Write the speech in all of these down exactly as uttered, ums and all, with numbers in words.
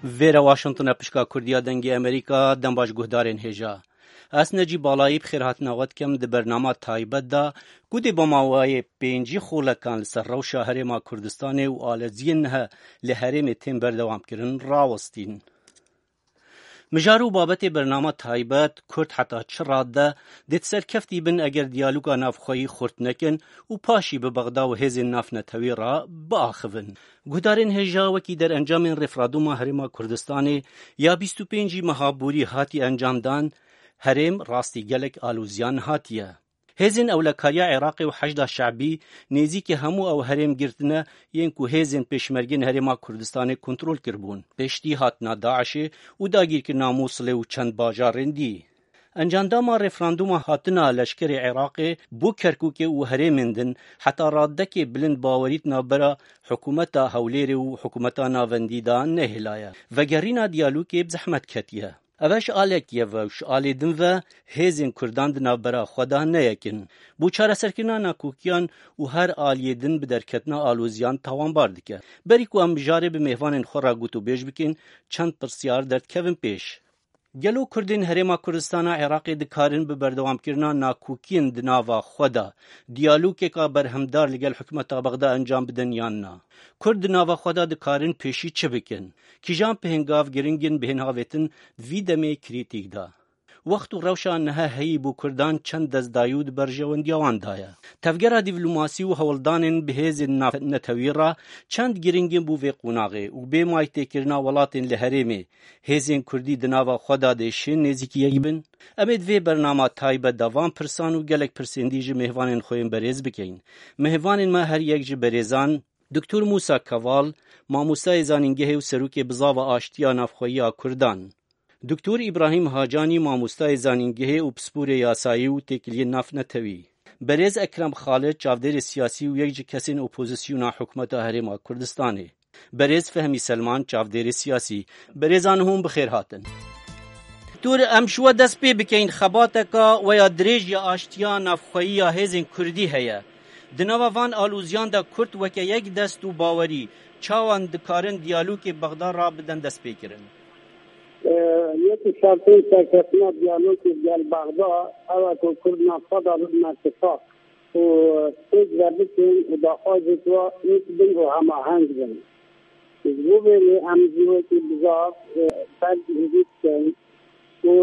Vêre Washington e, pişka Kurdiya Dengê Amerîka, dem baş guhdarên hêja. Ez Necîb Balayî bi xêrhatina we dikim di bernama taybet de, ku dê bi maweyê pêncî xolekan li ser rewşa Herêma Kurdistanê û aleziyên niha li herêmê tên berdewamkirin rawestîn. Mijar û babetê bernama taybet, Kurd heta çi rad de dê serkeftî bin eger diyaloga navxweyî xurt nekin û paşî bi Bexda û hêzên navnetewî re biaxivin. Guhdarên hêja, wekî derencamên referandûma Herêma Kurdistanê ya bîst û pêncî meha borî hatî encamdan, herêm rastî gelek alozî nehatiye. Hêzên ewlekariya Iraqê û Heşda Şebî nêzîkî hemû ew herêm girtine yên ku hêzên pêşmergên Herêma Kurdistanê kontrol kiribûn. Piştî hatina DAIŞê û dagîrkirina Mûsilê û çend bajarên dî. Encamdama referandûma hatina leşkerê Iraqê bo Kerkûkê û herêmên din heta radekê bilind bawerî di navbera hikûmeta Hewlêrê û hikûmeta navendî de nehêlaye. Vegerîna diyalogê bi zehmet ketiye. Ev e ji alekî ye ve û ji alê din ve hêzên Kurdan di navbera xwe de neyekin. Bo çareserkirina nakokiyan û her aliyê din bi derketina aloziyan tawanbar dike. Berî ku em mijarê bi mêvanên xwe re gotûbêj bikin, çend pirsyar derdikevin pêş. Gelo Kurdên Herêma Kurdistana Iraqê dikarin bi berdewamkirina nakokiyên di nava xwe de diyalogeka berhemdar li gel hikûmeta Bexda encam bidin yan na? Kurd di nava xwe de dikarin pêşî çi bikin? Kîjan pihingav giring in bihên havêtin di vî demê krîtîk de? Wext û rewşa niha heyî bo Kurdan çend destdayî û di berjewendiya wan de ye. Tevgera dîvlomasî û hewldanên bi hêzên navnetewî re çend giring in bo vê qonaxê û bê maytêkirina welatên li herêmê, hêzên Kurdî di nava xwe de dê şên nêzîkî yek bin? Em ê di vê bernama taybet de van pirsan û gelek pirsên dî ji mêvanên xwe yên berêz bikeyin. Mêvanên me her yek ji berêzan Doktor Mûsa Keval, mamostayê zanîngehê û serokê Bizava Aştiya Navxweyî ya Kurdan. Doktor Îbrahîm Hacanî, mamostayê zanîngehê û pisporê yasayî û têkiliyên navnetewî. Berêz Ekrem Xalid, çavdêrê siyasî û yek ji kesên opozisyona hikûmeta Herêma Kurdistanê. Berêz Fehmî Selman, çavdêrê siyasî. Berêzan hûn bi xêr hatin. Doktor, em ji we dest pê bikeyin, xebateka we ya dirêj ya aştiya navxweyî ya hêzên Kurdî heye. Di nava van alûziyan de Kurd weke yek dest û bawerî çawan dikarin diyalogê Bexda re bidin destpêkirin? Yek ji şertên serkeftina diyalogê gel Bexda ew e ku Kurd navxwe de bibin îtifaq û pêk ve bikin û daxwazê ku wek bin û hemaheng bin. Ji bo vê lê em jî wekî bizar, e, ber gihînî dikeyn û,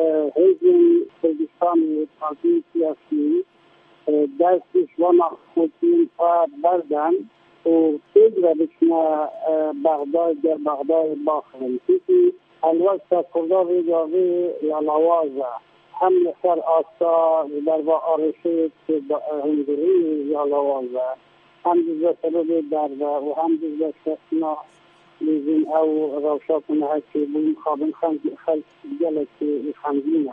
e, hêzên Kurdistanê û partiyên siyasî, e, dest ji wana xwetiyên xwe berdin û pêk ve biçine, e, Bexdayê, ger Bexdayê baxin. Çimkî helwesta Kurda vê gavê ya lawaz e. Hem li ser asta ji ber va arêşê hundirî ya lawaz e, hem jî ji ber sebebê derve û hem jî ji ber şexsina lêzîn ew rewşa ku niha çêbû mixabin xelk gelekî xemgîn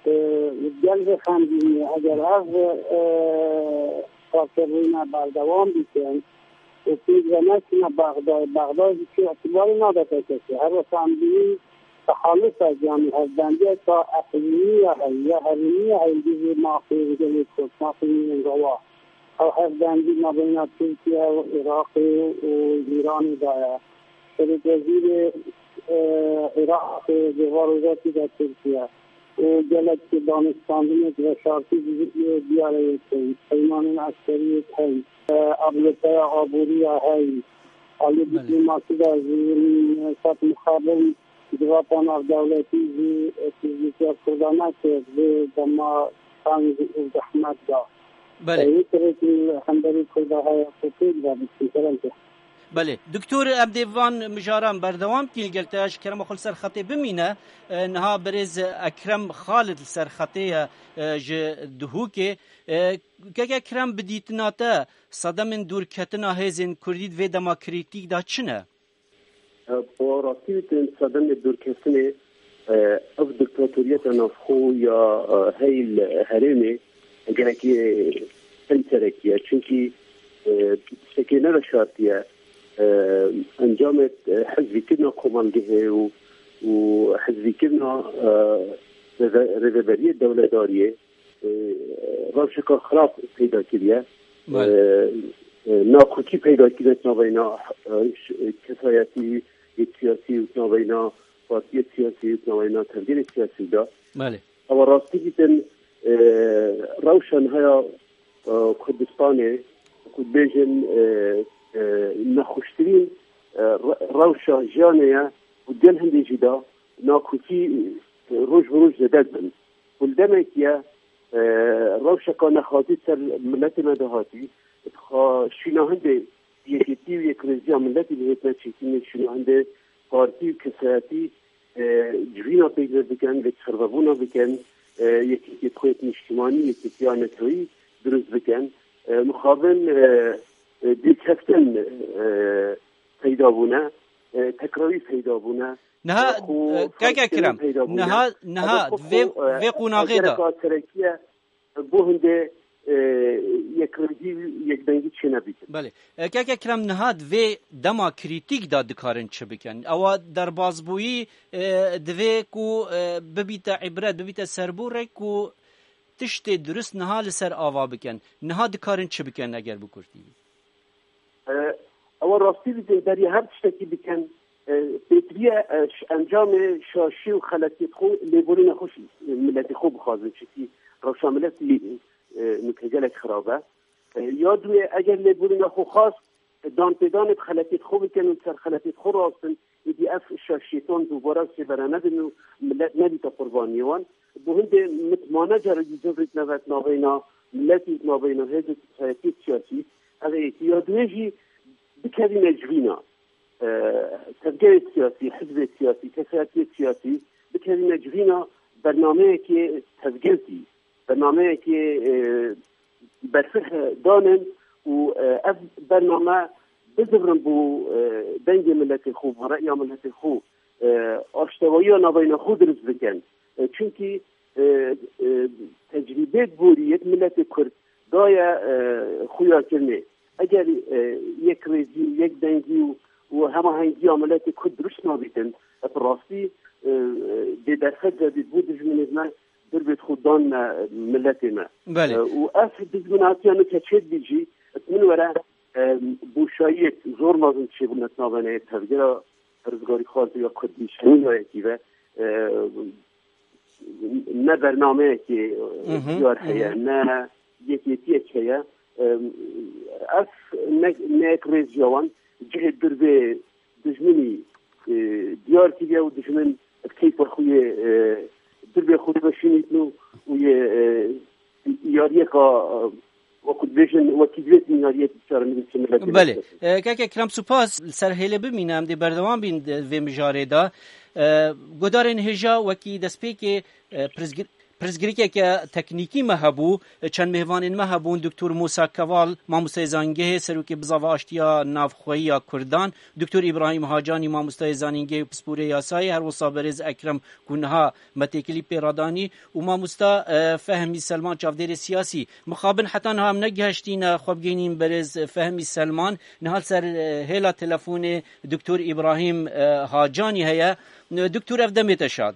e. Gel vê xemgîniyê eger ev, e, karkerbûna berdewam bikin û pêk ve neçine Bexdayê, Bexdayê jî çi îtibarê nade P K K. Her wexta em dibînin tehalufek, yanî hevbendiyeka eqlîmî ya heye, ya herêmî ya heye, li dijî mafê gelê Kurd, mafê mînên rewa. Ew hevbendî nabeyna Tirkiye û Iraqê û Îranê de ye. Serokwezîrê, e, Iraqê di va rojatî de Tirkiye û gelek danûstandinêk veşartî di, e, diyareyê tên. Peymanên eskeriyê tên. E, abloteya aborî ya heyî. Alî Belê. Dîplomasî de jî, e, sed mixabin civata navdewletî jî, e, tijîtiya Kurda nekir. Vê dema teng û zehmet de. Belê. E, wî kirêkî li hemberî Kurda heye ku pêk ve biçin. Kerem ke. Belê. Doktor, em dê van mijaran berdewam kîn. Gel te ji kerema xwe li ser xetê bimîne. E, niha berêz Ekrem Xalid li ser xetê ye, e, ji Duhokê. E, kek Ekrem, bi dîtina te sedemên dûrketina hêzên Kurdî di vê dema krîtîk de çi ne? E, bi rastî wî tên sedemê dûrketinê, e, ev diktatoriyeta navxwe ya, e, heyî li herêmê gelekî peyserekî ye. Çimkî, e, tiştekê neveşartiye, e, encamê, e, hizvîkirina komelgehê û, û hizvîkirina, e, rêve-, rêveberiyê dewledariyê, e, rewşeka xirab peyda kiriye. Belê. E, e, nakokî peyda kiriye navbeyna, e, ş-, kesayetî siyasî û naveyna partiyê siyasî û naveyna tevgerê siyasî de. Belê. Ewa rastî dîtin, e, rewşa niha ya, e, Kurdistanê, ku dibêjin, e, e, nexweştirîn, e, re-, rewşa jiyanê ye û gel hindê jî de nakokî, e, roj bi roj zêde dibin. Ku li demekî ye, e, rewşeka nexwazî ser miletê me de hatî, dixa şîna hindê yekîtî û yekrêziya miletî bihêtine çêkînê, şîna hindê partî û kesayetî, e, civîna pêk ve bikin, lêkçervebûna bikin, e, yekîtî xwêt niştimanî, yekîtiya netewî dirust bikin. E, mixabin, e, e, dîrkeftin, e, peyda bûne, e, tekrarî peyda bûne. Niha, Xwe e, keke Kiram, peyda bûne. Niha, niha Ebe xwe vê, xwe, e, vê qonaxê de. Gereka serekiye bo hindê, e, yekrêzî, yekdengî çênebîtin. Belê. E, keke Kiram, niha di vê dema krîtîk de dikarin çi bikin? Ewa derbazbûyî, e, divê ku, e, bibîte îbret, bibîte serbûrek ku tiştê dirust niha li ser ava bikin. Niha dikarin çi bikin eger bi kurtî? E, ewa rastî bikin, beriya her tiştekî bikin, e, pêtiriye, e, ş-, encamê şaşî û xeletiyê xwe lêborîna xwe ş-, miletê xwe bixwazin. Çikî rewşa miletî, e, nûke gelek xirab e. E, ya duye, eger lêborîna xwe xwast, e, danpêdanê bi xeletiyê xwe bikin û ser xeletiyê xwe rastin, êdî ev şaşiyêtan dubare sêvere nebin û milet nebîte qurbaniyê wan. Bo hindê mitmane carekî civrîk nevet naveyna miletî, naveyna hêzê kesayetiyê siyasî, ev e yekî. Ya duye jî bikevîne civîna, e, tevgerê siyasî, hizbê siyasî, kesayetiyê siyasî, bikevîne civîna bernameyekê tevgirtî, bernameyekê, e, berfirh danin û, e, ev bername bizivirin bo, e, dengê miletê xwe, bo reya miletê xwe, e, aştewayiya naveyna xwe dirust bikin. E, çimkî, e, e, tecrîbê borî yek miletê Kurd daye, e, xuyakirinê. Eger, e, yekrêzî, yekdengî û, û hemahengiya miletê Kurd dirust nabîtin, e, bi rastî, e, e, bêderfet ve dît bo dijminê me, dirbêt xwe dan me, miletê me. Belê. E, û ev dijminatiya nûke çêdibî jî, min were, e, boşayiyek zor mezin çêbûne di navê tevgera rizgarîxwaz ya Kurdî şewînayekî ve, e, ne bernameyekê, e, Hı hı, diyar hı hı. heye, ne yekêtiyek heye. E, ev ne, ne yek rêziya wan cihê dirbê dijminî, e, diyar kiriye û dijmin bi keyfa xwe yê, e, dirbê xwe dimeşînîtin û, û yê, e, yariyeka, e, wekî dibêjin, wekî divêt yariyek çaremirî miletê Belê. Belê. E, keke Kiram, spas. Li ser hêlê bimîne, em dê berdewam bîn di vê mijarê de. E, guhdarên hêja, wekî destpêkê, e, pirsgir-, pirsgirêkeke teknîkî me hebû, çend mêvanên me hebûn, Doktor Musa Keval, mamosteyê zanîngehê, serokê bizava aştiya navxweyî ya Kurdan, Doktor Îbrahîm Hacanî, mamosteyê zanîngehê û pisporê yasayê, her wisa berêz Ekrem ku niha me têkilî pê re danî û mamosta, e, Fehmî Selman, çavdêrê siyasî. Mixabin heta niha em negihiştîne xwe bigihînîn berêz Fehmî Selman. Niha li ser, e, hêla telefonê Doktor Îbrahîm, e, Hacanî heye. E, Doktor, ev demê te şad.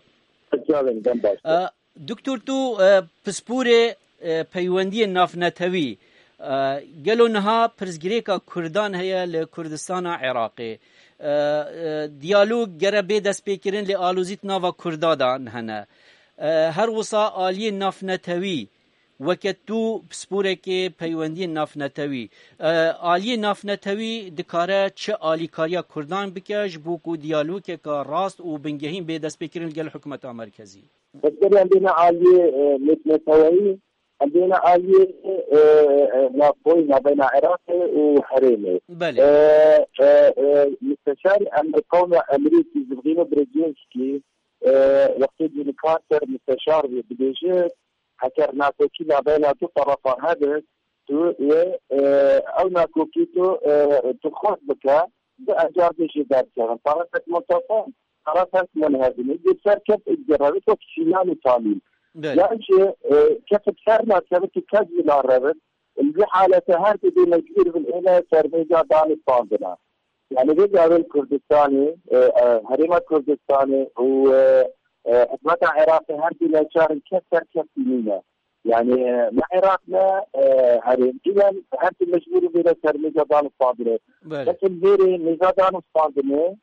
Çaxên dem baş. E, Doktor, tu, e, pisporê, e, peywendiyên navnetewî, e, gelo niha pirsgirêka Kurdan heye li Kurdistana Iraqê? E, e, diyalog gere bê destpêkirin, lê alozî di nava Kurda de hene. E, her wisa aliyê navnetewî, weke tu pisporekê peywendiyên navnetewî, e, aliyê navnetewî dikare çi alîkariya Kurdan bike ji bo ku diyalogeke rast û bingehîn bê destpêkirin li gel hikûmeta merkezî? Bes berê em bêne aliyê, e, nêtneteweyî, em bêne aliyê, e, e, navxweyî navbeyna Iraqê û herêmê. Belê. E, e, e, Misteşar em bi qewna Emerîkî Zivgîno Brzezinskî, e, wextê Jimmy Carter misteşar bû, dibêje, heger nakokî navbeyna du terefa hebe, tu yê, e, ew nakokî tu, e, tu xurt bike, du encamê jê derkevin. Tarafek muntazam, tarafek munhezim. Yê serkeft êdî revit wek Sînan û Tamîm. Belê. Yan jî, e, kes bi ser nakevit û kes jî narevit. Li vî halete her du dê mecbûr bin êne sermêja danûstandina. Yani vê gavên Kurdistanê, e, e, Herêma Kurdistanê û, e, e, hikûmeta Iraqê her du neçar in kes serkeftî nîne. Yani, e, ne Iraq ne, e, herêm. Înan her du mecbûr in bêne sermêja danûstandinê. Belê. Kesin vêrê mêja danûstandinê,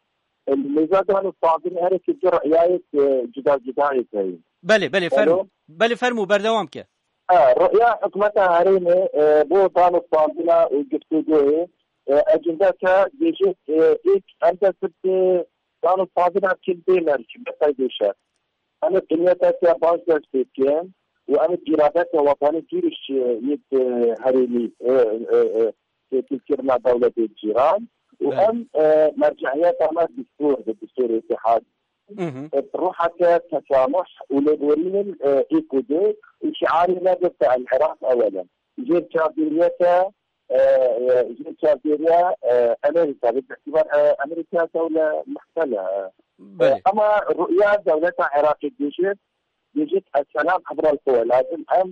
Li mêza dan û standin herêkê du riyayêk, e, cuda cudayêk heye. Belê, belê, Alo? Fermo. Belê, fermo, berdewam ke. E, riya hikûmeta herêmê, e, bo dan û standina û giftûgoyê, e, ecindeke gêjê, e, êk em dest bi dan û standina bikin bê mercî, bi qeydê şer. Em ê qîmeteke baş dest pê bikin û em ê îradeke wetanî dûrîş, e, yê, e, herêmî, e, e, e, têkilkirina dewletê cîran û Belê. em, e, mercehiyeta me distûr bi distûrê Îtîhad. Mhm. E, bi ruheke tesamuh û lêborînin, e, êk û du û şiarê me bibte El Iraq Ewelen. Jêr çavdêriyeke, e, e, jêr çavdêriya, e, Amerîka, bi îtibar, e, Amerîka dewle muhtele. E, Belê. Ama ruya dewleta Iraqê dibêjit, dibêjit, "Esselam ebral quwe." Lazim em,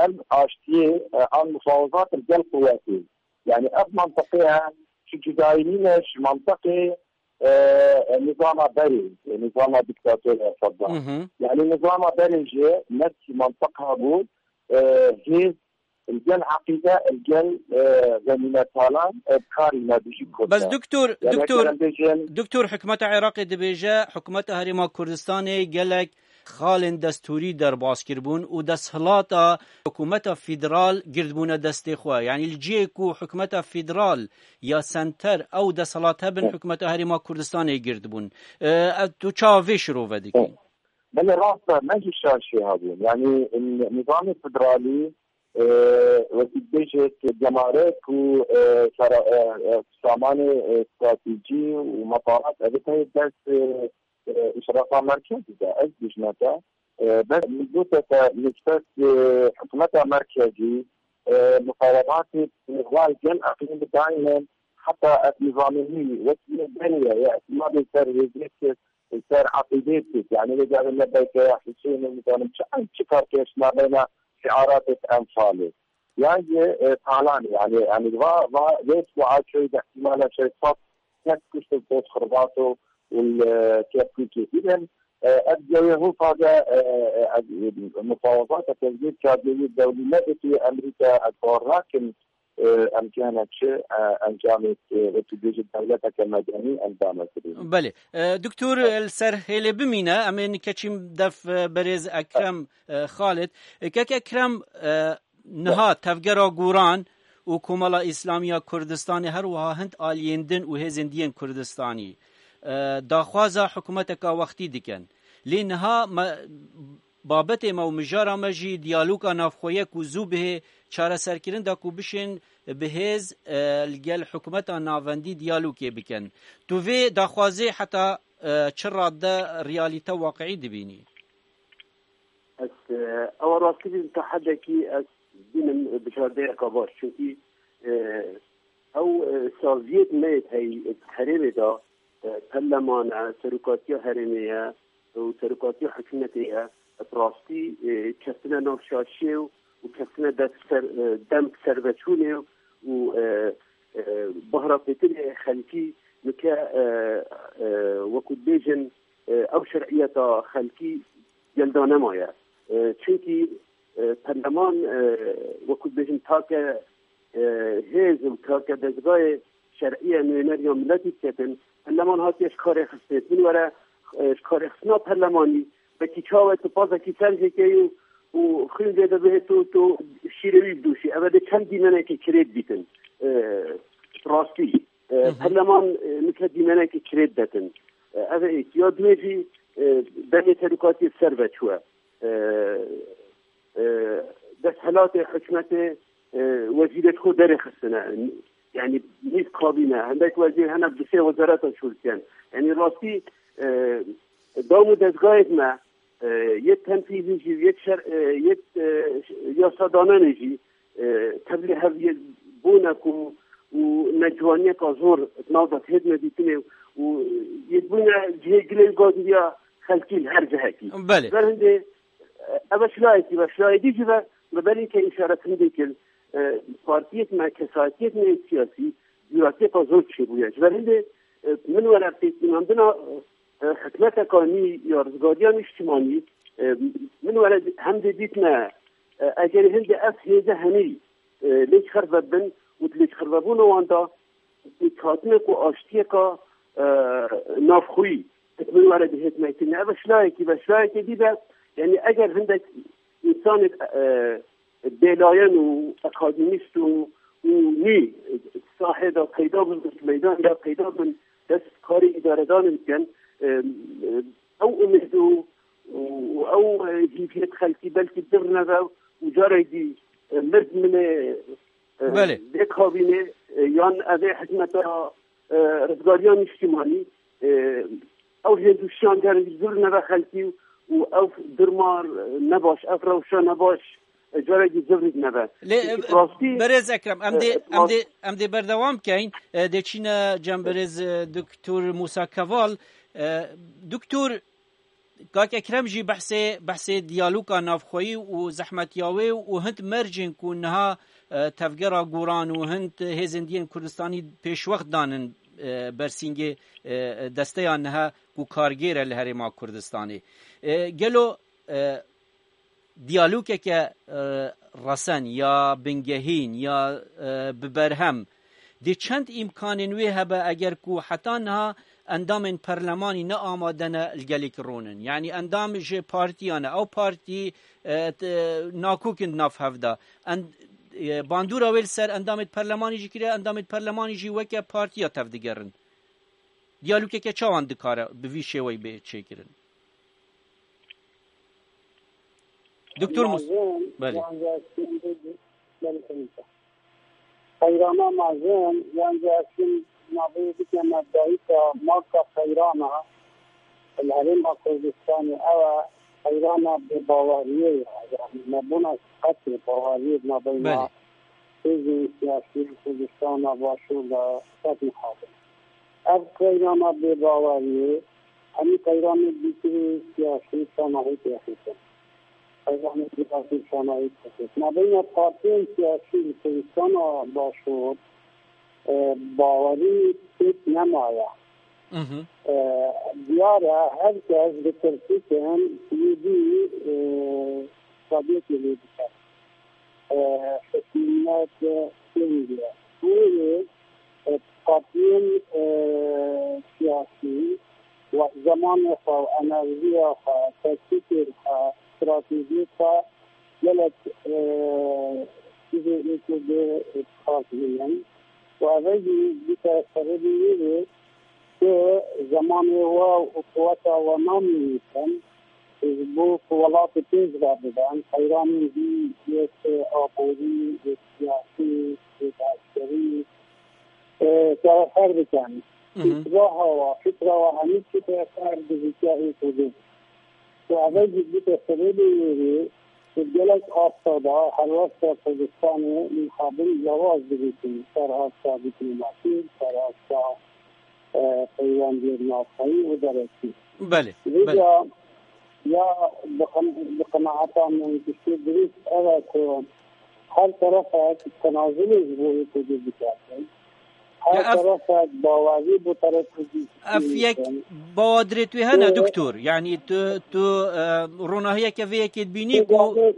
em aştiyê, e, an mufawazat li gel quwetê. Yani ev mantiqê he, şu cudayî nîne, şu mantiqê, e, e, nizama berê, e, nizama diktator ya Saddam. Mhm. Yani nizama berê jî nefsî mantiq hebû, e, hêz li gel eqîde, li gel, e, zenînetalan, e, bi karî me dijî Kurd Bes e. Doktor, Yani Doktor, gerek bêjin Doktor, hikûmeta Iraqê dibêje, hikûmeta Herêma Kurdistanê gelek xalên destûrî derbas kiribûn û desthilata hikûmeta federal girdibûne destê xwe. Yani li cihê ku hikûmeta federal ya senter ew desthilat hebin, Hı. hikûmeta Herêma Kurdistanê girdibûn. E, ev tu çawa vê şirove dikî? Hı. Belê rast e, me jî şaşî hebûn. Yani, n-, nizamê federalî, e, wekî dibêjit gemarek û, e, sera-, e, e, samanê, e, stratejî û metarat, ev tê dest, e, e, îşrafa merkezî de. Ez dijme te, e, bes min gote te nisbet, e, hikûmeta merkezî, e, muqerebatê, e, xwe gel eqlîm bi daîmen heta ev nizamê nî wekî berê ye, ya îtimadê ser hêzê kir, ser eqîdê kir. Yani, vê carê ne beyteya Huseyinê, nizanim çi, em çi karkeş nabeyna şiaratê Enfalê. Yan jî, e, talanê, yani, yani, va, va, vê ku açoy de ihtimala şeş sed kes kuşt û pot xirbat û, û, e, Kerkûkê. Îdem, e, ev cewê hûfa de, e, e, ev, e, mufawazata tezgîr çardewî dewlî nebitî Amerîka, ez bawer nakim, e, em cihana çi, e, encamê, e, wekî bêjî dewleteke medenî encame kirî. Belê. E, Doktor, li ser hêlê bimîne, em ê nike çîm def, e, berêz Ekrem, e, Xalid. E, kek Ekrem, e, niha tevgera Goran û Komela Îslamî ya Kurdistanê her wiha hind aliyên din û hêzên diyên Kurdistanî, e, daxwaza hikûmeteka wextî dikin. Lê niha me, babetê me û mijara me jî diyaloga navxweyek û zû bihê çareserkirin de ku bişên bi hêz, e, li gel hikûmeta navendî diyalogê bikin. Tu vê daxwazê heta, e, çi radde realîte waqiî dibînî? Ez, e, ewa rastî bînim, ta hedekî ez bînim bijardeyeka baş. Çunkî, e, ew, e, saziyêt me yê heyî, e, herêmê de, e, perleman e, serokatiya herêmê ye û serokatiya hikûmetê ye. Bi rastî, e, kestine nav şaşiyê û, û kestine dest ser, e, dem serveçûnê û, e, e, bahra pêtinê xelkî nike, e, e, wekû dibêjin, e, ew şer'iyeta xelkî gelda nemaye. E, çunkî, e, perleman, e, wekû dibêjin take, e, hêz û take dezgayê şer'î ye nûêner ya miletî diketin. Perleman hatiye ji karê xistin. Min were, e, ji karê xistina perlemanî, wekî çawe tu pazekî ser jêkeyî û, û xwîn vê de bihê tu, tu şîrê wî bidûşî. Ev ê çend dîmenekê kirêt bîtin. E, rastî. E, Hı hı. Perleman, e, nike dîmenekê kirêt detin. E, ev ê ya duê jî, e, demê terûkatiyê ser ve çûye. E, e, desthilatê hikûmetê, e, wezîrê xwe derê xistine. Yani nîv kabîne. Hindek wezîr hene bi du sê wezareta şûltiyen. Yani rastî, e, dam û dezgahêk me, e, yê tenfîzî jî, yê şer-, e, yê, e, yasadananê jî, e, tevlî hev yê bûne ku û neciwaniyeka zor di nav de têdine dîtinê û yê bûne cihê gilê û gazindiya xelkî li her cihekî. Belê. Ber hindê, e, ev e şilayekî ve, şilayê dî jî ve, me berî ke îşaret hindê kir, e, partiyek me, kesayetiyek me yê siyasî, cûratiyeka zor çêbûye. Ji ber hindê, e, min were pêkînandina, e, hikûmeteka nî ya rizgariya nîştimanî, e, min were hem dê dîtine, e, egerê hindê ev hêze henî, e, lêçxerve bin û di lêçxervebûna wan de pêkhatinê ku aştiyeka, e, navxweyî min were bihêt metinê. Ev şilayekî ve, şilayekê dî de, yani eger hindek însanê, e, bêlayen û akademîst û, û nî sahê de peyda bin, meydan de peyda bin, dest karê îdaredanê dikin, e, e, ew umêd û, û ew, e, hîviyet xelkî belkî dir nebe û carek dî, e, mird minê, e, Belê. Dê kabînê, e, yan evê hikmeta, e, rizgariya niştimanî, e, ew hêz û şiyan carek dî zir nebe xelkî û ew dirma, e, nebaş, ev rewşa nebaş, e, carek dî zir nebe. Lê, Çimkî e, rastî, Berêz Ekrem, em e, dê, em rast- dê, em dê berdewam keyn. E, dê çîne cem berêz, e, Doktor Musa Keval. E, Doktor, Kak Ekrem jî behsê, behsê diyaloga navxweyî û zehmetiya wê û hind mercên ku niha, e, tevgera Goran û hind hêzên diyên Kurdistanî pêşwext danin, e, bersîngê, e, desteya niha ku kargêr e li Herêma Kurdistanê. E, gelo, e, diyalogeke, e, resen ya bingehîn ya, e, bi berhem, dê çend îmkanên wê hebe eger ku heta niha endamên perlemanî ne amade ne li gelek ronin? Yanî endam ji partiyan e, ew partî, e, t-, nakokin di nav hev de. En-, e, bandora wê li ser endamên perlemanî jî kiriye, endamên perlemanî jî weke partiya tevdigerin. Diyalogeke çawan dikare bi vî şêweyî bê çêkirin? Doktor Mus-, Mezin, Belê. Yan jî hestên bê, belê, belê. Qeyrana mezin, yan jî hestên navê bikeme dayika marka qeyrana, li Herêma Kurdistanê ew e, qeyrana bêbaweriyê ye. Yani nebûna siqetê baweriyê di navbeyna Belê. hêzên siyasî li Kurdistana Başûr de qet mixabin. Ev qeyrana bêbaweriyê, hemî qeyranê dîtirî siyasî sanahî têxîtin. Qeyranê siyasî sanahî têxîtin. Navbeyna partiyên siyasî li Kurdistana Başûr, e, bawerî pêk nemaye. Mhm. E, diyar e, her kes ditirsitin, yê dî, e, qadiyekê lê dike. E, hikûmet, e, kêm diye. Wê, e, partiyên, e, siyasî, we-, zemanê xwe, enerjiya xwe, teknîkên xwe, stratejiyê xwe gelek, e, cihê ê Kurdê, e, dixwazînin. Û eve jî bîte sebebê wê bê ku zemanê we û quweta we namînîtin, ji bo ku welatê pêş ve bibin, qeyranên wî yek aborî, yek siyasî, yek eskerî, e, serefer bikin. Hı hı. Îslah hawa, fikra wa hemî çi serefer bi vîtiya ê Kurdê. Ku eve jî bûte sebebê wê rê, ku gelek asta da helwesta Kurdistanê mixabin lawaz dibîtin, ser asta dîplomasî, ser asta, e, peywendiyên navxweyî û derekî. Belê, belê. Vêca ya bi qen-, bi qenaeta min tiştê dirust ev e ku her terefek tenazulê ji bo yê Kurdî dikerdin. Her Ya ev terefek bawerî bo terefekî Ev yek bawadirê tu hene, Ee, doktor. Yani tu, tu, e, ronahiyeke vê yekê dibînî ku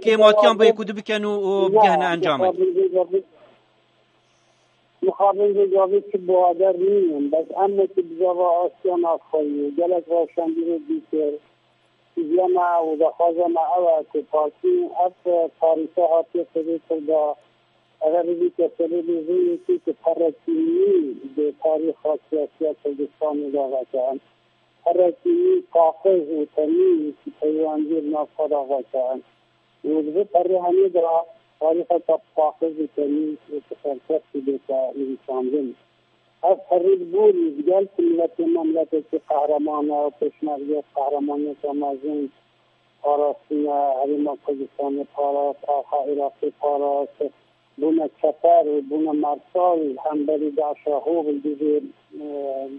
kêmatiyan bi yekû dibiken û, û bigehne encamê. Mixabin vê gavê çi bawader nînin. Bes em wekî bizava Asya Navxweyî û gelek rewşenbîrê dîtir, Hîviya me û daxwaza me ew e ku partî ev tarîfe hatiye serê Kurda, eger bibîte serê lêzê yekê ku perekî nî di tarîxa siyasiya Kurdistanê de veke, perekî nî paqiz û temîz peywendiyê di nav xwe de veke. Û di vê perê hemî de tarîxeke paqiz û temîz û bi serkeftiye bête nivîsandin. Ev herî li gorî digel ku miletê me miletekî qehreman e û pêşmerge qehremaniyeke mezin parastine, Herêma Kurdistanê parast, axa Iraqê parast, bûne çeper û bûne mersal hemberî DAIŞa hov li dijî, e,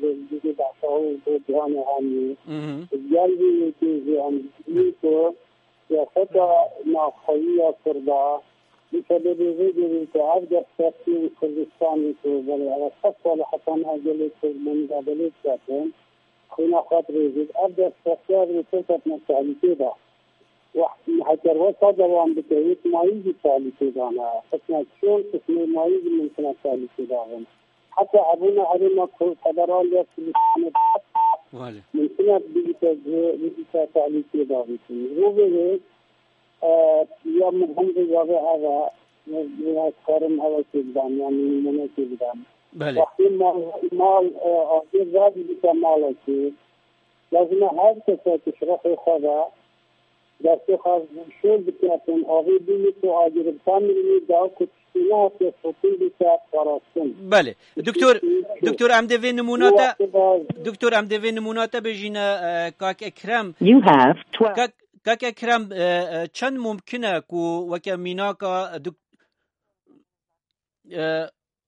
li dijî DAIŞa hov bo cîhanê hemî. Mhm. Digel vî yekê jî em dibînin ku siyaseta navxweyî ya Kurda, bi sebebê vê derê ku ev destkeftiyên Kurdistanê ku belê ev sed sal e heta niha gelê Kurd li muzabelê diketin, xwîna xwe dirêjit, ev destkeftiyê ev rêkê ketine tehlîkê de. Wext heger wesa dewam bike, yê mayî jî tehlîkê de ne. Qismek çûn, qismê mayî jî mimkun e tehlîkê de bin. Heta hebûna herêma Kurd, federal ya Kurdistanê Belê. Mumkin e bigîte ji, bigîte tehlîkê davêtin. Rovê wê, e, ya min hemzê gavê heve, ez karim hevekê bidan, yani nûmunekê bidan. Belê. Wextê mal, mal, e, agir radibîte malekê, lazim e her kesek ji ruhê xwe ve destê xwe şol biketin, avê bînî ku agir bi tam mirinî da ku tiştî nehatiye sotin bîte parastin. Belê. Doktor, doktor, em dê vê nimûna te, doktor, em dê vê nimûna te bêjîne, e, kak Ekrem. You have twelve. Kak, kak Ekrem, e, e, çend mumkin e ku weke mînaka, e, dok-, e,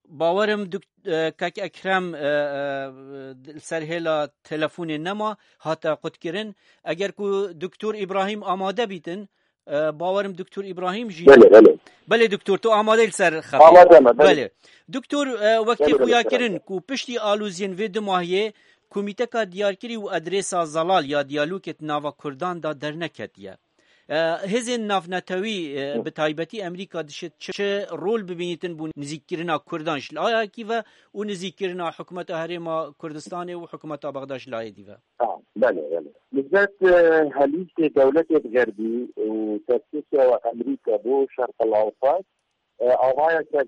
bawerim dok-, e, kak Ekrem, e, e, li ser hêla telefonê nema, hate qutkirin. Eger ku doktor Îbrahîm amade bîtin, e, bawerim doktor Îbrahîm jî. Belê, belê. Belê doktor, tu amade li ser xetê. Amade me, belê. Belê. Doktor, e, wekî xuya kirin ku piştî aloziyên vê du mahiyê komîteka diyarkirî û adresa zelal ya diyalogê di nava Kurdan de derneketiye. E, hêzên navnetewî, e, bi taybetî Amerîka dişê çi, çi rol bibînîtin bo nizîkkirina Kurdan ji layekî ve û nizîkkirina hikûmeta Herêma Kurdistanê û hikûmeta Bexda ji layê dî ve? Ha, belê, belê. Nisbet, e, helîstê dewletê bi xerbî û tersîsiya we Amerîka bo Şerqil Ewsat, e, avaya ser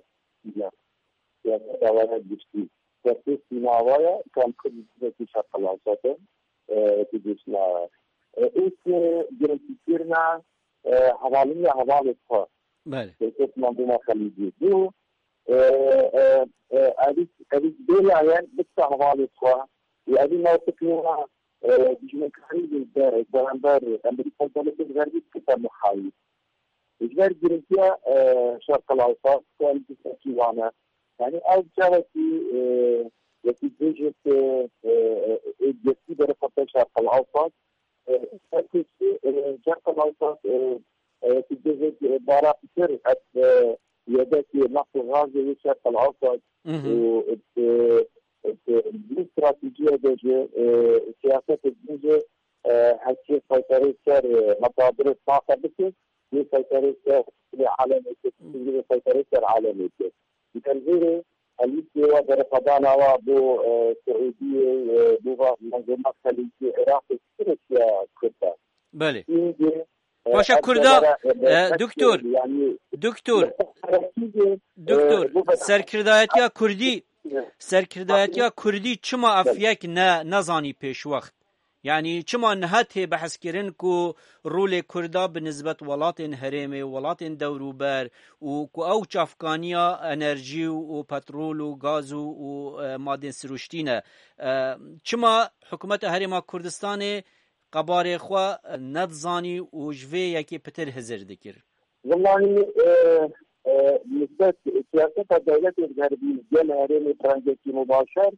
siyaseta we ya giştî. Tersîsîna we ya kam Kurd bi Şerqil Ewsat e, e, tu dişna, e, û tu girintîkirina, e, hevaliniya hevalê xwe. Belê. Hikûmeta Xelîcî. Du, e, e, e, evî, evî bê layen bikta hevalê xwe. Û evî mewqifê wan, e, dijminkarî li be-, beramber Amerîka û dewletên Xerbî bikta muhayîr. Ji ber girintiya, e, Şerqil Ewsat, ku em dîsekî wan e. Yanî ew çavekî, e, wekî dibêjin ku, e, e, e, yekî derê xwe te Şerqil Ewsat, e, herkesî, e, Şerqil Ewsat, e, e, wekî dibêjin, e, bara pitir, ev, e, yedekê neft û gazê wê Şerqil Ewsat Mhm. û, e, e, e, bu stratejiye de jî, e, siyaset dibêje, e, hekî seyterê ser, e, metadirê taxe bike. Yê seyterê ser alemê kir, yê seyterê ser alemê kir. Di tevzêrê helîstê wa berxwedana wa bo, e, Siûdiyê, e, bo va menzûma Xelîcî Iraqê çi rêsiya Kurd e? Belê. Îngê, e, Paşa ev Kurda, devera, e, e, doktor, yanî, doktor, li xwe serkî de, e, doktor, bo ve- serkirdayetiya Kurdî, serkirdayetiya Kurdî çima ev Belê. yek ne, nezanî pêşwext? Yanî çima niha tê behs kirin ku rolê Kurda bi nisbet welatên herêmê, welatên dewrûber û ku ew çavkaniya enerjî û, û petrol û gaz û, û, e, madên siruştî ne? E, çima hikûmeta Herêma Kurdistanê qebarê xwe nedizanî û ji vê yekê pitir hizir dikir? Wellahî, e, e, nisbet siyaseta dewletên Xerbî gel herêmê bi rengekî mubaşer,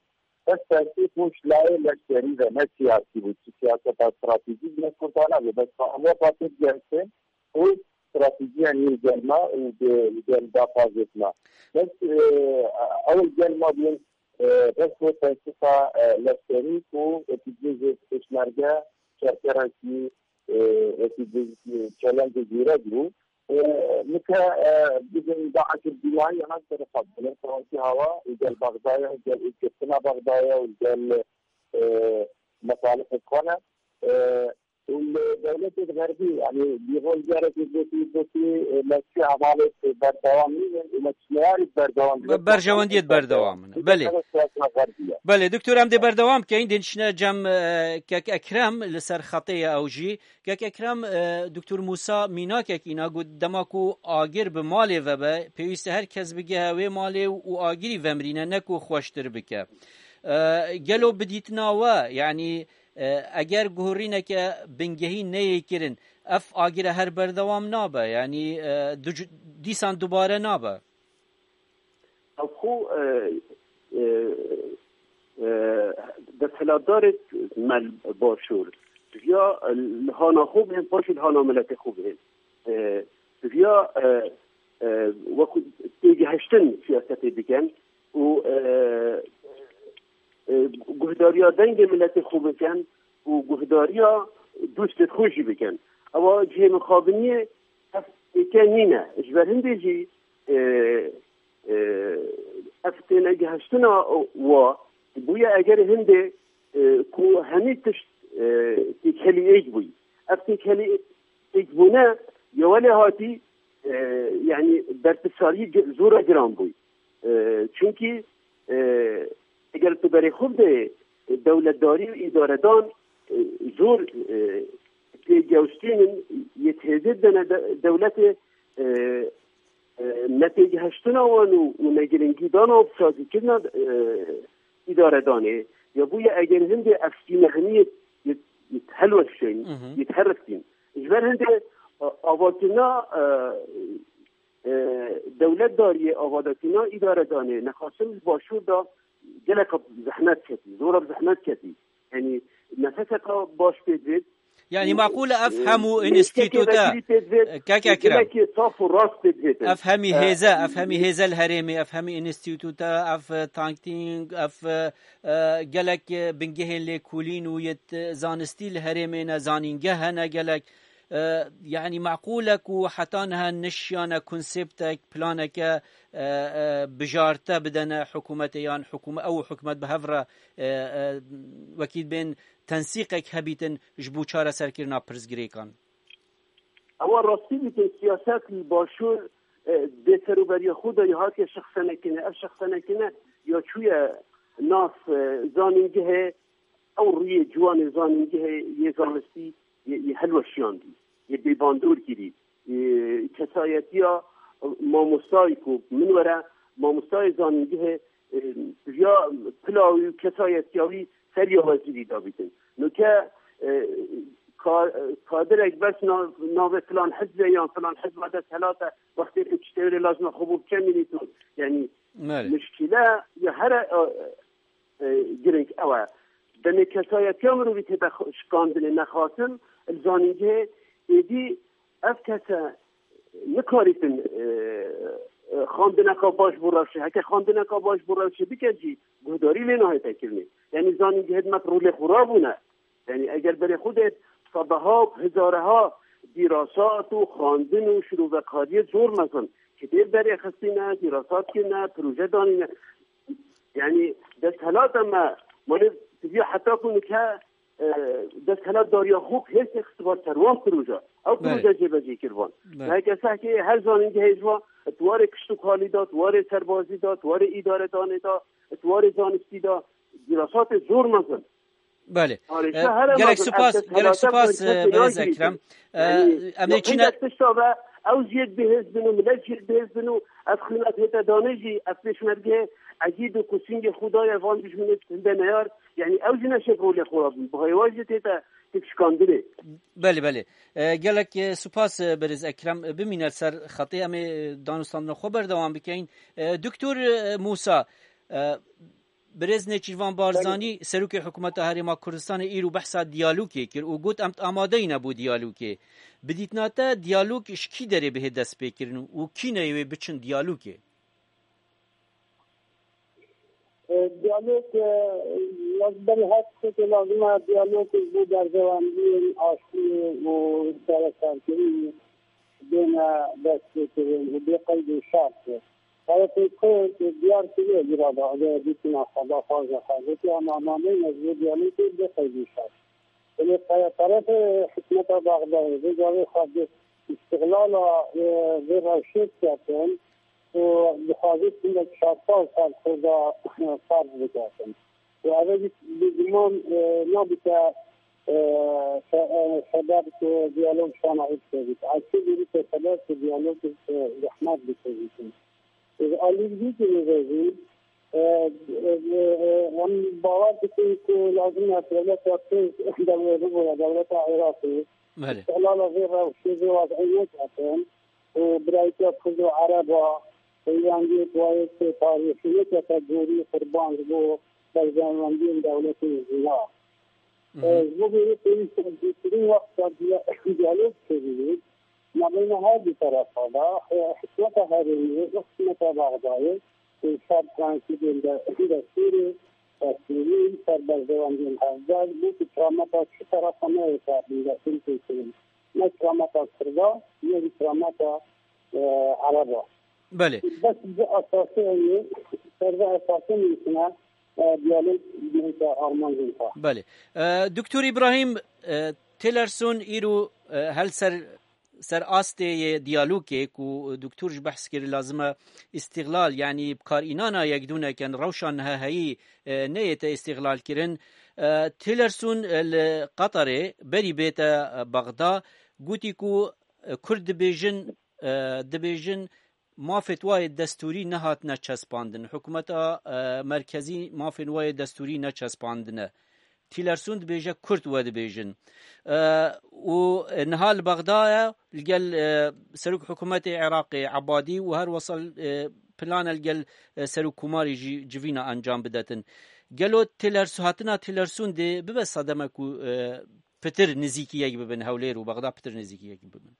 Bes siyasî bû ji layê leşkerî ve, ne siyasî bû. Çi siyaseta stratejîk ne Kurdana bû. Bes Ewropa tê digerse û stratejiya nî gel ma û bi gel daxwazêt ma. Bes, e, ew gel ma bûn, e, bes bo tensiqa, e, leşkerî ku wekî cihê pêşmerge şerkerekî, e, wekî cihê çelengê zîrek bû. E, nike, e, bidin daxekir dîwayî ya nas derê xwe, gel Fransî hawa, û gel Bexdaya, û gel û girtina Bexdaya, û gel, e, mesalihê xwe ne. E, û li dewletê Xerbî, yanî, bîrol carekê gotî, gotî, e, me çi hevalê berdewam nînin, û me çi neyarî berdewam nînin. Be-, berjewendiyê berdewam in. Belê. Belê, doktor, em dê berdewam keyin, dê çine cem, e, kek Ekrem li ser xetê ye ew jî. Kek Ekrem, e, Doktor Mûsa mînakek îna got, dema ku agir bi malê ve be, pêwîst e her kes bigehe wê malê û agirî vemirîne, ne ku xweştir bike. E, gelo bi dîtina we, yanî, e, eger guhurîneke bingehîn neyê kirin, ev agire her berdewam nabe, yanî, e, du-, dîsan dubare nabe? Ew xwe, e, e, e, desthilatdarê me li Başûr, diviya li hana xwe bihên, paşê li hana miletê xwe bihên. E, diviya, e, e, wekî têgihiştin siyasetê bikin û, e, e, guhdariya dengê miletê xwe bikin û guhdariya dostê xwe jî bikin. Ewa cihê mixabiniyê ev êke nîne. Ji ber hindê jî, e, e, Tênegihiştina wa bûye eger hindê, e, ku hemî tişt, e, têkhelî êk bûyî. Ev têkhelî êkbûne ya welê hatî, e, yanî berpirsarî gi-, zora giran bûyî. E, çunkî, e, eger tu berê xwe bideyê, e, dewletdarî û îdaredan, e, zor, e, têgewstînin, yê têzê dene de-, dewletê, e, e, netêgihiştina wan û, û negirinkîdana û sazîkirina, e, îdaredanê, ya bûye eger hindê ev sînehmiyê yê, yê helweşên, Mhm. yê heriftin. Ji ber hindê, e, avakirina, e, e, dewletdariyê, avadakirina îdaredanê, nexasim li başûr de gelek zehmet ketî, zora bi zehmet ketî. Yanî nefeseka baş pê divêt. Yanî maqûl e ev hemû înstîtuta, kek Ekrem. Gelekê saf û rast pê divêtin. Ev hemî hêze, ev hemî hêze li herêmê, ev hemî înstîtuta, ev, e, tanktîng, ev, e, e, gelek, e, bingehên lêkolîn û yê, e, zanistî li herêmê ne, zanîngeh hene gelek. E, yanî maqûl e ku heta niha nişiyane konseptek, planeke, e, e, bijarte bidene hikûmetê yan hikûme-, ew û hikûmet bi hev re, e, e, wekî bên tensîqek hebîtin ji bo çareserkirina pirsgirêkan. Ewa rastî dîtin siyaset li başûr, e, bê serûberiya xwe de ya hatiye şexsenekirine. Ev şexsenekirine ya çûye nav, e, zanîngehê, ew rûyê ciwanê zanîngehê yê zanistî yê, yê helweşiyandî, yê bêbandor kirî, yê kesayetiya mamostayî ku min were mamostayê zanîngehê, e, ya pila wî û kesayetiya wî ser ya wezîrî dabîtin. Nuke, e, ka-, kadirek bes na-, navê filan hizbê yan filan hizba dest helate, wextê ku tiştê wê lazima xwe bû biçe mînî tu. Yanî Belê. Muşkile ya here, e, e, girîng ew e. Demê kesayetiya mirovî tête xwe-, şikandinê nexasim, li zanîngehê êdî ev kese nikarîtin, e, e, xwendineka baş bo rewşê. Heke xwendineka baş bo rewşê bike jî guhdarî lê nahête kirinê. Yanî zanîngehê di me rolê xwe rabûne. Yanî eger berê xwe dê sedeha, hezareha dîrasat û xwendin û şirovekariyê zor mezin, kitêb derêxistîne, dîrasat kirine, proje danîne. Yanî desthelata me, malê tiviya heta ku nike, e, desthilatdariya xwe hêrsê xistiba ser wan proje. Ew Belê. proje jêbecê kirvan. Belê. Heke sehkê her zanîngehê ji wan, di warê kişt û kalî de, di warê serbazî de, di warê îdaredanê de, di warê zanistî de, dîrasatê zor mezin. Belê. Parêşa E, here gelek mezin, spas, ev gelek desthelata spas, ku e, kesê berêz nagirîtin. Ekrem. E, Yanî, em ê ya çine qînek tişta ve, ew jî yek bihêz bin û millet jî yek bihêz bin û ev xînat hête danê jî, ev pêşmergehê egîd û ku singê xwe daye van dijminê hinde neyar, yanî ew jî neşêb rolê xwe rabin. Bi hêwa jî tête têkşikandinê. Belê, belê. E, gelek, e, spas, e, berêz Ekrem. E, bimîne ser xetê, em ê, e, danûstandina xwe berdewam bikeyin. E, Doktor, e, Mûsa, e, Birêz Nêçîrvan Barzanî, Serokê Hikûmeta Herêma Kurdistanê îro behsa diyalogê kir û got, em amadeyî ne bo diyalogê. Bi dîtina te diyalog ji kî derê bihê destpêkirin û kî neyê wê biçin diyalogê? E, diyalog, e, ya ji berî her tiştekê lazim e, diyalog ji bo berdewamiyên aştiyê û çareserkirinê bêne destpêkirin û bê qeyd û şert. Tarafê Kurd diyar kiriye, lira da, eger dîtina xwe daxwaza xwe, gotî, em amadeyî ne ji bo diyalogê bê qeyd û şert. Belê, tarafê hikûmeta Bexdayê vê gavê xwe bi îstiqlala, e, vê rewşê diketin û dixwaze hindek şartal ser Kurda, e, ferz biketin. Û ev jî bêguman, e, nabite, e, se-, e, sebeb ku diyalog şana êk bibit. Eşkê bibite sebeb ku diyalog, e, zehmet bikevîtin. Ji alî vî jî, e, e, e, em bawer dikin ku lazim e dewleta Tirk, dewe bibûre dewleta Iraqê. Belê. Îstiqlala vê rewşê, vê wez'ê neketin û birayîtiya Kurd û Ereba, peywendiyê ku wayê tarîxî nekete gorî qurban ji bo berjewendiyên dewletê jina. Mhm. E, ji bo vê yê pêwîst e zûtirîn wexta diya-, diyalog çêbibît. Mabeyna her du terefa de, e, hikûmeta herêmê û hikûmeta Bexdayê, e, ser prensîbên de, destûrê, destûrî, ser berjewendiyên hevdar, bû ku kirameta çi terefa neyê destpêkirin. Ne kirameta Kurda, ne jî kirameta, e, Ereba. Belê. Bes bi esasê heye, Serve esasî nivîsine, e, diyalog bihête armancên xwe. Belê. E, Doktor Îbrahîm, e, Tillerson îro, e, hel ser, ser astê yê diyalogê ku doktor ji behs kir lazim e îstîxlal, yanî bi kar înana yekdûnekin rewşa niha heyî, e, neyête îstîxlal kirin. E, Tillerson, e, li Qatarê berî bête, e, Bexda, gotî ku, e, Kurd dibêjin, e, dibêjin mafê wan yê destûrî nehatine çespandin. Hikûmeta, e, merkezî mafên wan yê destûrî neçespandine. Tillerson dibêje Kurd we dibêjin. E, û niha li Bexda ye, li gel, e, Serok Hikûmetê Iraqê Ebadî û her wesa, e, plan e li gel, e, Serokkomarê jî civîna encam bidetin. Gelo Tillerson, hatina Tillerson dê bibe sedeme ku, e, pitir nizîkî yek bibin, Hewlêr û Bexda pitir nizîkî yek bibin?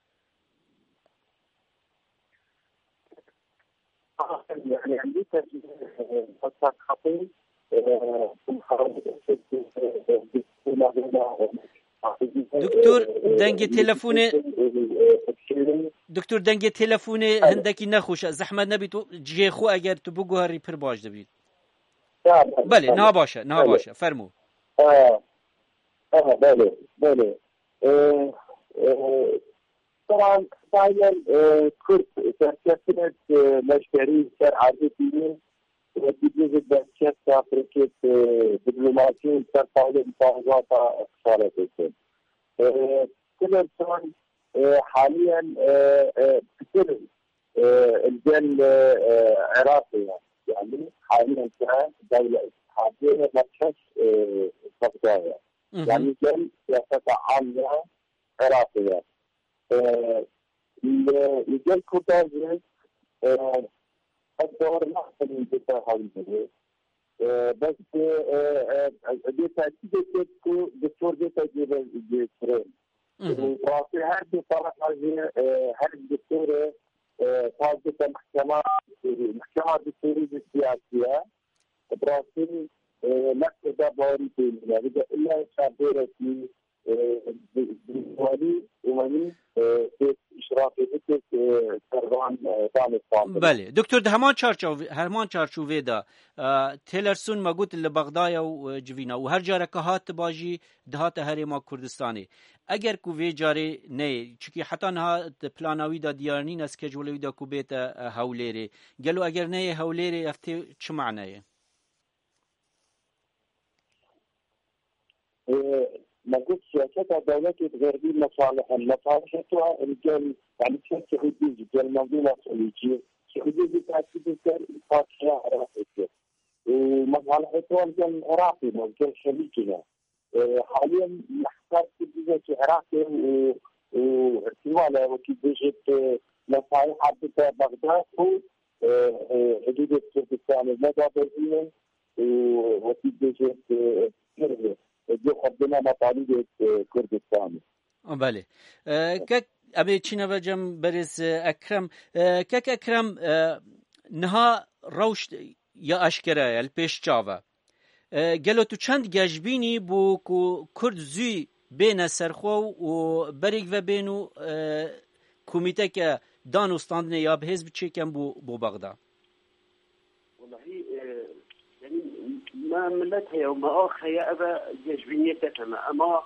Doktor, dengê telefonê, doktor, dengê telefonê hindekî nexweş e. Zehmet nebî tu cihê xwe eger tu biguherî pir baş dibî. Belê, niha baş e, niha baş e. Fermo. Belê, belê. Taban, Kurd serkeftinek, e, leşkerî ser erdê dînin, e, dibêje derkefta pirkêt, e, diplomasî û ser tawlê mufarazata xesaretê. E, Tillerson, e, haliyen, e, e, pitir, e, li gel, e, e, Iraqê ye. Yani haliyen ke dewlet, haliyen merkez, e, Bexda ye. Yani gel siyaseta am ya Iraqê ye. E, li, li gel Kurdan jî, e, ez bawer nakim bête Hewlêrê. E, bes, e, e, e, bê tekîdê kir ku doktor bête cêbe-, cêkirin. Û rastî her du tarafa jî, e, her doktorê, e, pas bête mehkema, mehkema doktorî jî siyasî ye. Bi rastî, e, ne Kurda bawerî pê nîne. Bide illa çavdêrekî, e, bi, bi walî û wenî, e, pêk îşrafê bike, e, ser van, e, danûstandin. Belê. Doktor, di heman çarçov-, heman çarçovê de, e, Tillerson me got li Bexdayê û, e, civîna û her careke hat diba jî dihate herêma Kurdistanê. Eger ku vê carê neyê, çikî heta niha di plana wî de diyar nîne, schedule wî de ku bête, e, Hewlêrê. Gelo eger neyê Hewlêrê, ev tê çi maneyê? E, me got siyaseta dewletê di xerbî mesalih in. Mesalihê tu in gel, yani ser Siûdî jî, gel mezlûma Xelîcî. Siûdî jî tekîd dikir, partiya Iraqê kir. Û mesalihê tu in gel Iraqê ne, gel Xelîcî ne. E, haliyen mehtab Siûdî jî Iraqê û, û ihtimal e wekî bêjit, e, mesaliha bide Bexda û, e, e, hudûdê Kurdistanê ne dabezînin. Û wekî bêje, e, pir, e, xwedina metalî de, e, Kurdistanê. Belê. E, kek, em ê çîne ve cem berêz, e, Ekrem. E, kek Ekrem, e, niha rewş ya eşkere ye, li pêş çav e. E, gelo tu çend geşbînî bû ku Kurd zû bêne serxwe û berêk ve bên û, e, komîteke danûstandinê ya bi hêz biçêken bo, bo Bexda? Wellahî, e, yani, me milet heye û me ax heye, ev e geşbîniyê teke me. Ema,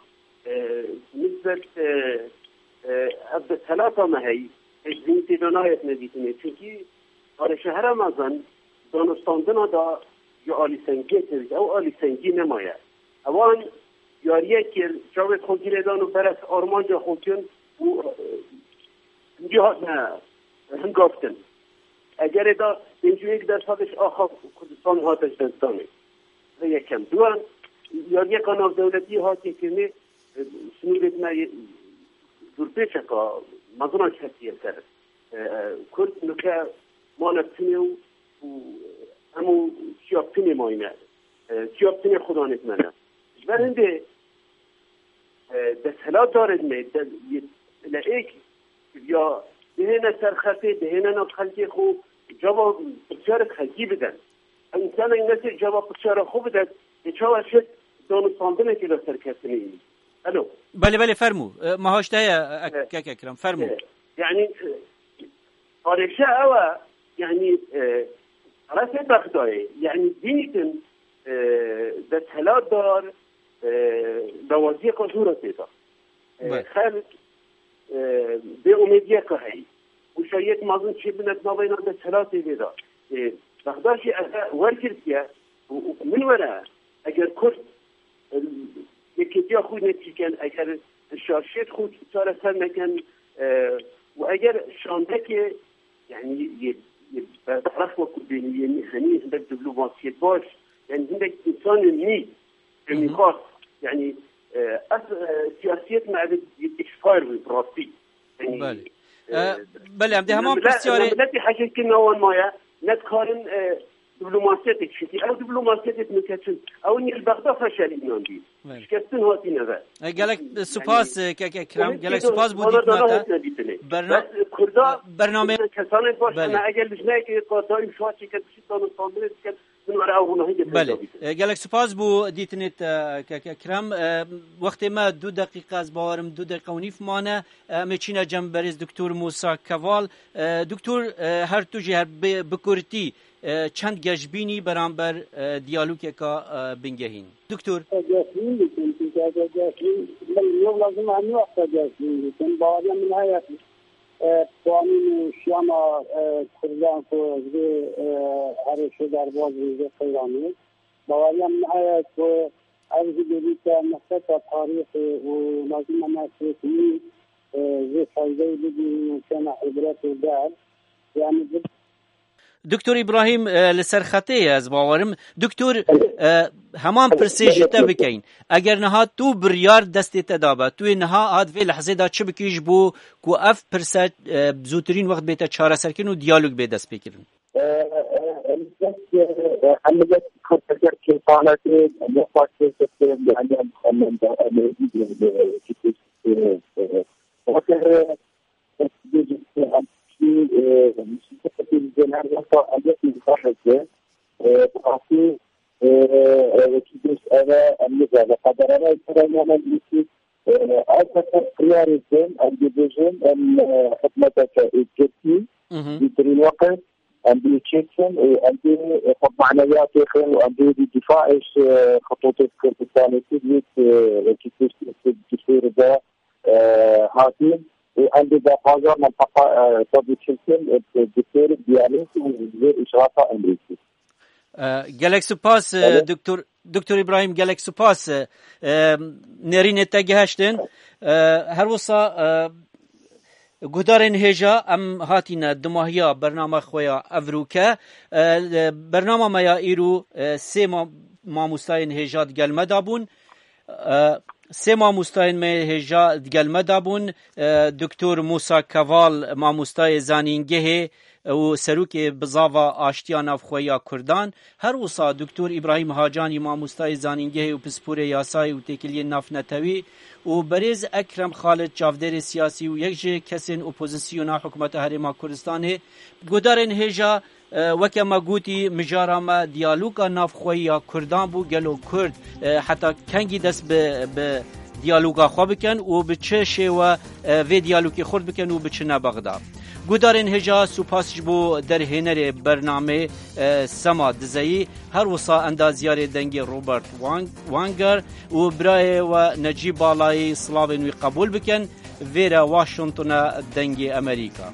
e, nisbet, e, e, ev desthilata me heyî, geşbînî tê de nayetine dîtinê. Çunkî arêşehera mezin, danûstandina da ji alîsengiyê tevît. Ew alîsengî nemaye. Ewan yariyek kir, çavê xwe girê dan û beres armanca xwe kin û, e, hindî hatine hingavtin. Egerê da pêncî û yek dersadê ji axa Kurdistanê hate ji destdanê. Vê yekem. Duyan, yariyeka navdewletî hatiye kirinê, e, sinûrê me yê dûrpêçeka mezin a ketiye ser. E, e, Kurd nuke mane tinê û, û em û çiya tinê mayne. E, çiya tinê xudanê me ne. Ji ber hindê, e, desthilatdarê me, de, yê, le êk ya dihêne ser xetê, dihêne nav xelkê xwe, cava pirsyarek xelkî bidin. Ew însanên nesê cava pirsyara xwe bidin, ê çawa şit danûstandinekê de serkeftinê yî. Alo. Belê, belê, fermû. E, meha ji te heye, e, kek Ekrem, fermû. E, yani, e, arêşe ew e, yani, e, Resê Bexdayê, yani dîtin e, desthilatdar e, dawaziyeka zor e tê de. E, Belê. Xelk e, bê umêdiyeke heyî. Û şayet mazin çêbine di navbeyna desthilatê vê de. E, Bexda jî eve wergirtiye û, û min were eger Kurd e, yekêtiya xwe netîken, eger şarşêt xwe çareser neken e, û eger şandekê, yani yê, yê bertaraf wekû bênî, yê nî-, henî hindek diplomasiyê baş, yani hindek insanên nî, Hı hı. demîxwar, yani e, ev e, siyasiyet me ev yê expire bû, bi rastî. Yani, Belê. e, E, belê, em dê heman millet, pirsyarê miletî hecekirina wan maye, ne dikarin e, diplomasiyetê, çünkü ew diplomasiyetê min keçin, ew niye li Bexda feşelî inan dî. Belê. Şikestin hatî neve. E, gelek Yani, spas, e, kek Ekrem, umêt gelek pêdo spas bû bana dana dîtina te. Hatine dîtinê. Berna-, Bes, e, Kurda, bername-, Kurda kesanê baş Belê. Hene, eger li jinayekê ka daîm şuha çêke dişî danûstandinê diket, min were ew ronahî de Belê. Peyda bîtin. E, gelek spas bû dîtinê te, kek Ekrem. E, wextê me du deqîqe, ez bawerim du deqîqe û nîv mane. E, em ê çîne cem berêz Doktor Musa Keval. E, Doktor, e, her tu jî her bi, bi kurtî, e, çend geş bînî beramber, e, diyalogeka, e, bingehîn? Doktor. Geşbîn dikim, çünkü eger geşbîn, min lazim hemî wexta geşbîn dikim. Baweriya min heye, e, qanûn û şiyama, e, Kurdan ku ji vê, e, herêşê derbaz bû, ji vê qeyranê. Baweriya min heye ku ev jî bêdîte mixteta tarîxê û lazim e me fêkimî, e, jê feydeyê bibînin û kene îbret û ders. Yani, Doktor Îbrahîm, e, li ser xetê ye, ez bawerim. Doktor, e, heman pirsê ji te bikeyin. Eger niha tu biryar destê te dabe, tu yê niha hat vê lehzê de çi bikî ji bo ku ev pirse, e, bi zûtirîn wext bête çareserkirin û diyalog bê destpêkirin? E, e, elbet, e, e, elbet, eger kêfanetê, ne fark êkê, yani, em, em, em, em, e, e, e, e, Mhm. Em dibêjin, em, e, hikûmeteke êkirtî, Mhm. zûtirîn weqt, em dê çêkin û em dê xwe manewiyatê xin û em dê di difaê ji, e, xitûtê Kurdistanê Kurd, e, wekî piştî diktor de, e, hatin û em dê daxwaza menteqa, e, xwe biçilkin, e, diktor diyalog û vê îşrafa Amerîkî. E, gelek spas, e, Belê. Doktor, Doktor Îbrahîm, gelek spas, e, e, nêrînê te gihiştin. E, her wisa, e, guhdarên hêja, em hatîne dimahiya bername xwe ya evroke. E, bernama me ya îro, e, sê ma-, mamostayên hêja digel me de bûn. E, sê mamostayên me hêja digel me de bûn, e, Doktor Musa Keval, mamostayê zanîngehê û serokê bizava aştiya navxwe ya Kurdan, her wisa Doktor Îbrahîm Hacanî, mamostayê zanîngehê û pisporê yasayê û têkiliyên navnetewî û berêz Ekrem Xalid, çavdêrê siyasî û yek ji kesên opozisyona hikûmeta Herêma Kurdistanê. Guhdarên hêja, E, weke me gotî, mijara me diyaloga navxweyî ya Kurdan bû. Gelo Kurd, e, heta kengî dest bi, bi diyaloga xwe bikin û bi çi şêwe, e, vê diyalogê xurt bikin û biçine Bexda? Guhdarên hêja, spas ji bo derhênerê bernamê, e, Sema Dizeyî, her wisa endazyarê dengê Robert Wang-, Wanger û birayê we Necîb Balayî, silavên wî qebûl bikin. Vêre Washingtona dengê Amerîka.